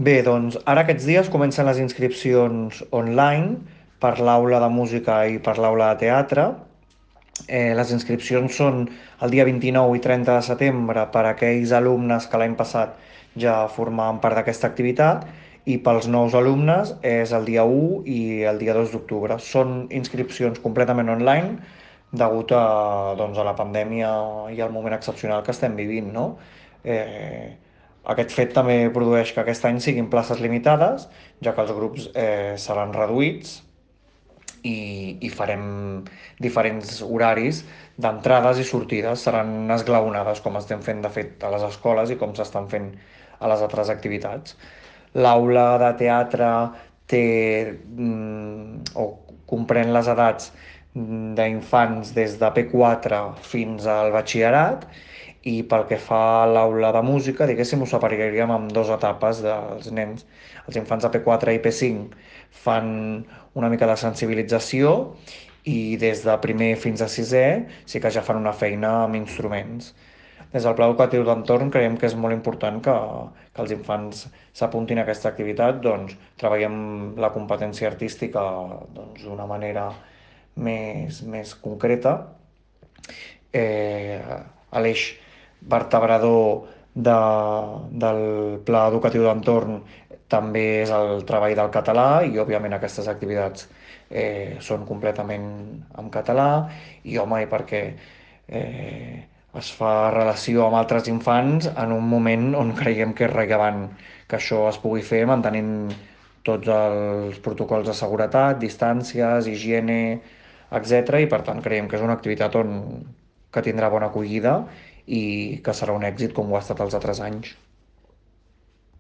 Bé, doncs ara aquests dies comencen les inscripcions online per l'aula de música i per l'aula de teatre. Les inscripcions són el dia 29 i 30 de setembre per a aquells alumnes que l'any passat ja formaven part d'aquesta activitat i pels nous alumnes és el dia 1 i el dia 2 d'octubre. Són inscripcions completament online degut doncs, a la pandèmia i al moment excepcional que estem vivint, no? Eh, Aquest fet també produeix que aquest any siguin places limitades, ja que els grups seran reduïts i farem diferents horaris d'entrades i sortides, seran esglaonades com estem fent de fet a les escoles i com s'estan fent a les altres activitats. L'aula de teatre té o comprèn les edats d'infants des de P4 fins al batxillerat i pel que fa a l'aula de música, diguéssim, ho separaríem en dues etapes dels nens. Els infants de P4 i P5 fan una mica de sensibilització i des de primer fins a sisè sí que ja fan una feina amb instruments. Des del Pla Educatiu d'Entorn creiem que és molt important que els infants s'apuntin a aquesta activitat, doncs treballem la competència artística doncs, d'una manera més concreta. L'eix vertebrador del Pla Educatiu d'Entorn també és el treball del català i òbviament aquestes activitats són completament en català i home, i perquè es fa relació amb altres infants en un moment on creiem que és rellevant que això es pugui fer mantenint tots els protocols de seguretat, distàncies, higiene, etc. I per tant creiem que és una activitat que tindrà bona acollida i que serà un èxit com ho ha estat els altres anys.